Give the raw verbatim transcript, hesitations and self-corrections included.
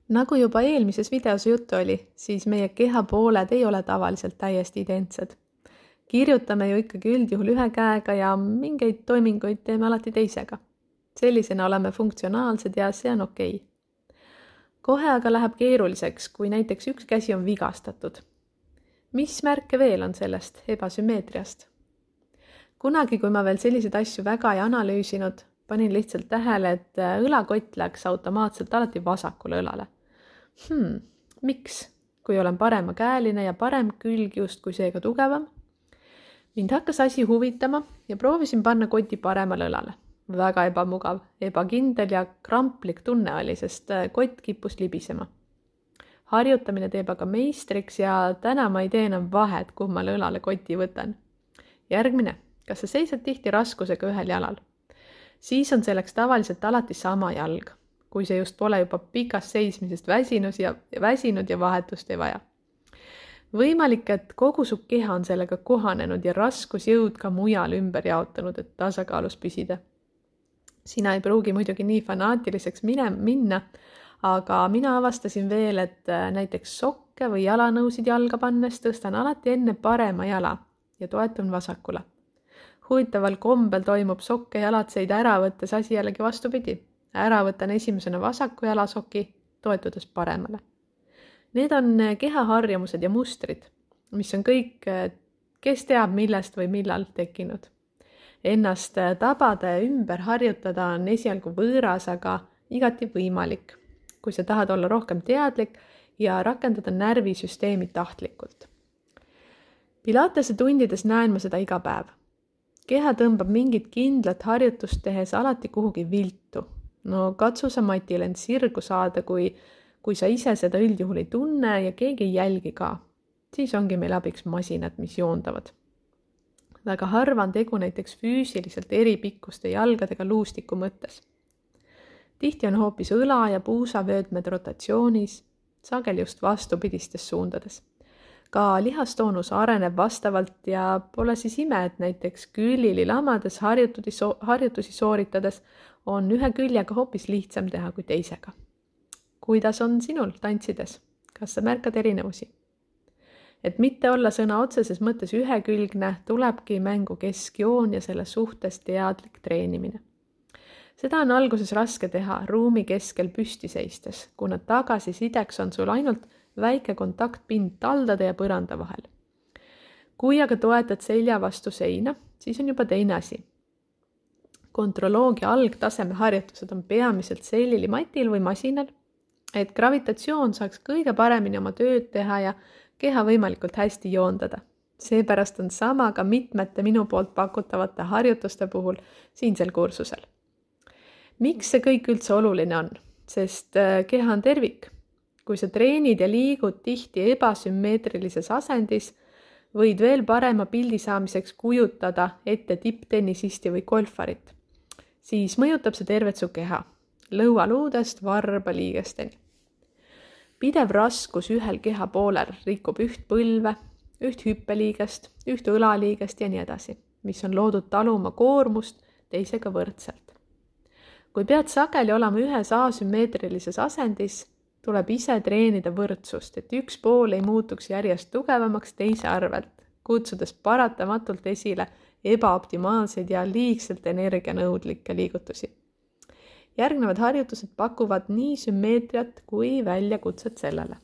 Nagu juba eelmises videos juttu oli, siis meie kehapooled ei ole tavaliselt täiesti identsed. Kirjutame ju ikkagi üldjuhul ühe käega ja mingeid toiminguid teeme alati teisega. Sellisena oleme funktsionaalsed ja see on okei. Kohe aga läheb keeruliseks, kui näiteks üks käsi on vigastatud. Mis märke veel on sellest ebasümmeetriast? Kunagi, kui ma veel selliseid asju väga ei analüüsinud, panin lihtsalt tähele, et õlakott läks automaatselt alati vasakule õlale. Hmm, miks? Kui olen paremakäeline ja parem külg justkui seega tugevam? Mind hakkas asi huvitama ja proovisin panna koti paremale õlale. Väga ebamugav, ebakindel ja kramplik tunne oli, sest kott kippus libisema. Harjutamine teeb aga meistriks ja täna ma ei tee enam vahet, kummale õlale koti võtan. Järgmine, kas sa seisad tihti raskusega ühel jalal? Siis on selleks tavaliselt alati sama jalg, kui see just pole juba pikast seismisest väsinus ja, väsinud ja vahetust ei vaja. Võimalik, et kogu su keha on sellega kohanenud ja raskusjõud ka mujal ümber jaotanud, et tasakaalus püsida. Sina ei pruugi muidugi nii fanaatiliseks mine, minna, aga mina avastasin veel, et näiteks sokke või jalanõusid jalga pannes tõstan alati enne parema jala ja toetun vasakule. Huvitaval kombel toimub sokke jalatseid ära võttes asi jällegi vastupidi. Ära võtan esimesena vasaku jalasoki, toetudes paremale. Need on kehaharjumused ja mustrid, mis on kõik, kes teab millest või millal tekkinud. Ennast tabada ja ümber harjutada on esialgu võõras, aga igati võimalik, kui sa tahad olla rohkem teadlik ja rakendada närvisüsteemi tahtlikult. Pilatese tundides näen ma seda iga päev. Keha tõmbab mingit kindlat harjutust tehes alati kuhugi viltu. No katsu sa matil end sirgu saada, kui, kui sa ise seda üldjuhul ei tunne ja keegi ei jälgi ka. Siis ongi meil abiks masinad, mis joondavad. Väga harva on tegu näiteks füüsiliselt eri pikkuste jalgadega luustiku mõttes. Tihti on hoopis õla ja puusavöötmed rotatsioonis, sageli just vastupidistes suundades. Ka lihastoonus areneb vastavalt ja pole siis ime, et näiteks küljili lamades harjutusi sooritades on ühe küljega hoopis lihtsam teha kui teisega. Kuidas on sinul tantsides? Kas sa märkad erinevusi? Et mitte olla sõna otseses mõttes ühekülgne, tulebki mängu keskjoon ja selle suhtes teadlik treenimine. Seda on alguses raske teha ruumi keskel püsti seistes, kuna tagasisideks on sul ainult väike kontaktpind taldade ja põranda vahel. Kui aga toetad selja vastu seina, siis on juba teine asi. Kontrolloogia algtaseme harjutused on peamiselt sellilimatil või masinal, et gravitatsioon saaks kõige paremini oma tööd teha ja keha võimalikult hästi joondada. Seepärast on sama ka mitmete minu poolt pakutavate harjutuste puhul siinsel kursusel. Miks see kõik üldse oluline on? Sest keha on tervik. Kui sa treenid ja liigud tihti ebasümmeetrilises asendis, võid veel parema pildi saamiseks kujutada ette tipptennisisti või golfarit. Siis mõjutab see tervet su keha, lõualuudest varba liigesteni. Pidev raskus ühel keha poolel rikub üht põlve, üht hüppeliigest, üht õlaliigest ja nii edasi, mis on loodud taluma koormust teisega võrdselt. Kui pead sageli olema ühes asümmeetrilises asendis, tuleb ise treenida võrdsust, et üks pool ei muutuks järjest tugevamaks teise arvelt, kutsudes paratamatult esile ebaoptimaalseid ja liigselt energianõudlikke liigutusi. Järgnevad harjutused pakuvad nii sümmeetriat kui väljakutset sellele.